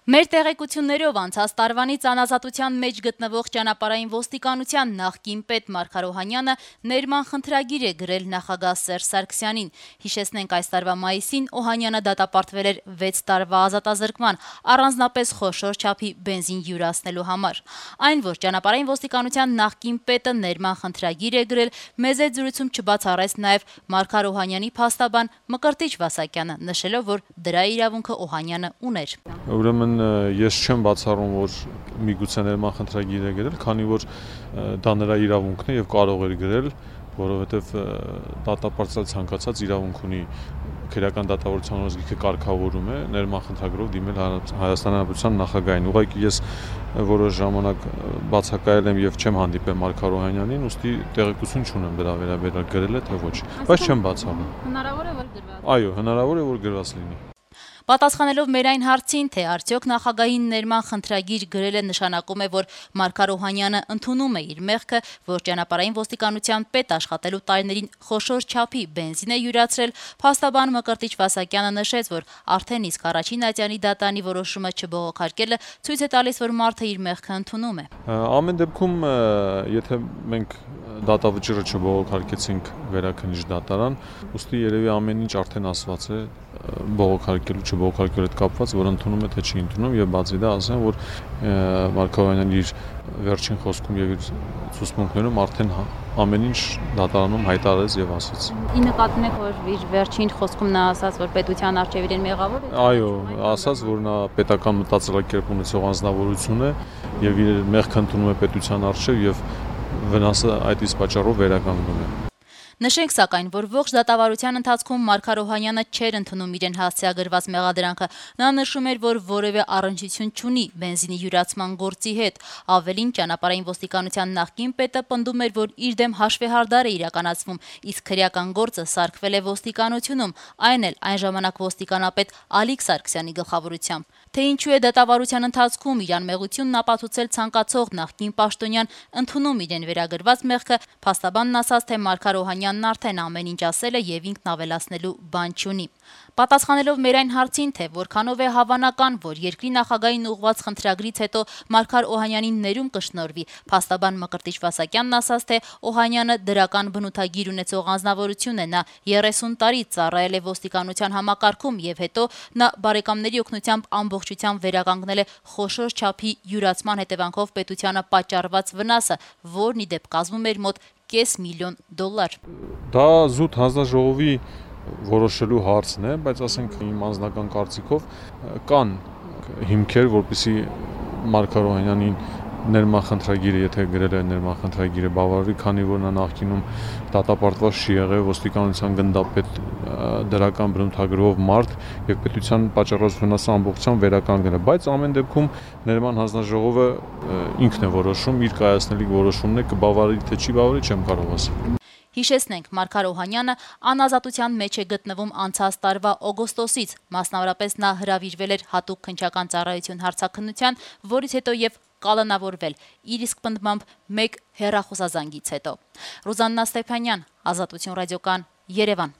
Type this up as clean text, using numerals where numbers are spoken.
Մեր տեղեկություններով անցած տարվանից անազատության մեջ գտնվող ճանապարհային ոստիկանության նախկին պետ Մարգար Օհանյանը ներման խնդրագիր է գրել նախագահ Սերժ Սարգսյանին։ Հիշեցնենք, այս տարվա մայիսին Օհանյանը դատապարտվել էր 6 տարվա ազատազրկման, առանձնապես խոշոր չափի բենզին յուրացնելու համար։ Այն, որ ճանապարհային ոստիկանության նախկին պետը ներման խնդրագիր է գրել, մեծ զրույցում չբացառեց նաև Մարգար Օհանյանի փաստաբան Մկրտիչ Վասակյանը, նշելով, որ դրա իրավունքը Օհանյանը ուներ։ Ուրեմն ես չեմ բացառում, որ միգուցե ներման խնդրագիր է գրել, քանի որ դա նրա իրավունքն է եւ կարող էր գրել, որովհետեւ դատապարտել ցանկացած իրավունք ունի, քրեական դատավարության օրենսգիրքը կարգավորում է ներման խնդրագրով դիմել Հայաստանի Հանրապետության նախագահին։ Ուղղակի ես որոշ ժամանակ բացակայել եմ եւ չեմ հանդիպել Մարգար Օհանյանին, ուստի տեղեկություն չունեմ դրա վերաբերյալ գրել է թե ոչ, բայց չեմ բացառում։ Հնարավոր է, որ գրված։ Այո, հնարավոր է, որ գրված լինի։ Պատասխանելով մեր այն հարցին, թե արդյոք նախագահին ներման խնդրագիր գրելը նշանակում է, որ Մարգար Օհանյանը ընդունում է իր մեղքը, որ ճանապարհային ոստիկանության պետ աշխատելու տարիներին խոշոր չափի բենզին է յուրացրել, փաստաբան Մկրտիչ Վասակյանը նշեց, որ արդեն իսկ առաջին ատյանի դատանի որոշումը չբողոքարկելը ցույց է տալիս, որ մարդը իր մեղքը ընդունում է։ Ամեն դեպքում, եթե մենք դատավճիռը չբողոքարկեցինք վերաքննիչ դատարան, ուստի երևի ամեն ինչ արդեն ասված է բողոքարկելու չբողոքարկելու հետ կապված, որ ընդունում է թե չի ընդունում, եւ բացի դա ասեմ, որ Մարգար Օհանյանն իր վերջին խոսքում եւ իր ցուցմունքներում արդեն ամեն ինչ դատարանում հայտարարեց եւ ասաց։ Ի նկատի ունեք, որ իր վերջին խոսքում նա ասաց, որ պետության արչեւ իրեն մեղավոր է։ Այո, ասաց, որ նա պետական մտածելակերպ ունեցող անձնավորություն է եւ իր մեղքը ընդունում է պետության արչեւ եւ վնասը այդ իսկ պատճառով վերականգնում է։ Նշենք սակայն, որ ողջ դատավարության ընթացքում Մարգար Օհանյանը չէր ընդունում իրեն հասցեագրված մեղադրանքը։ Նա նշում էր, որ որևէ առնչություն չունի բենզինի յուրացման գործի հետ։ Ավելին, ճանապարհային ոստիկանության նախկին պետը պնդում էր, որ իր դեմ հաշվեհարդար է իրականացվում, իսկ քրեական գործը սարքվել է ոստիկանությունում, այն էլ այն ժամանակ ոստիկանապետ Ալիկ Սարգսյանի գլխավորությամբ։ Թե ինչու է դատավարության ընթացքում իր անմեղությունն ապացուցել ցանկացող նախկին պաշտոնյան ընդունում իրեն վերագրված մեղքը, փաստաբանն ասաց, թե Մարգար Օհանյանն արդեն ամեն ինչ ասել է եւ ինքն ավելացնելու բան չունի։ Պատասխանելով մեր այն հարցին, թե որքանով է հավանական, որ երկրի նախագահային ուղղված խնդրագրից հետո Մարգար Օհանյանին ներում կշնորհվի, փաստաբան Մկրտիչ Վասակյանն ասաց, թե Օհանյանը դրական բնութագիր ունեցող անձնավորություն է, նա 30 տարի ծառայել է ոստիկանության համակարգում եւ հետո նա բարեկամների օգնությամբ ամբողջությամբ վերականգնել է խոշոր չափի յուրացման հետևանքով պետությանը պատճառված վնասը, որն ի դեպ կազմում էր մոտ $500,000։ Դա զուտ հանձնաժողովի որոշելու հարցն է, բայց ասենք իմ անձնական կարծիքով կան հիմքեր, որպեսզի Մարգար Օհանյանին ներման խնդրագիրը, եթե գրել է ներման խնդրագիրը բավարարի, քանի որ նա նախկինում դատապարտված չի եղել, ոստիկանության գնդապետ, դրական բնութագրով մարդ եւ պետության պատճառած վնասը ամբողջությամբ վերականգնել է, բայց ամեն դեպքում ներման հանձնաժողովը ինքն է որոշում, իր կայացնելիք որոշումն է, կբավարարի թե չի բավարարի, չեմ կարող ասել։ Հիշեցնենք, Մարգար Օհանյանը անազատության մեջ է գտնվում անցած տարվա օգոստոսից, մասնավորապես նա հրավիրվել էր հատուկ քննչական ծառայություն հարցաքննության, որից հետո եւ կալանավորվել, իր իսկ պնդմամբ 1 հեռախոսազանգից հետո։ Ռուզաննա Ստեփանյան, Ազատություն ռադիոկան, Երևան։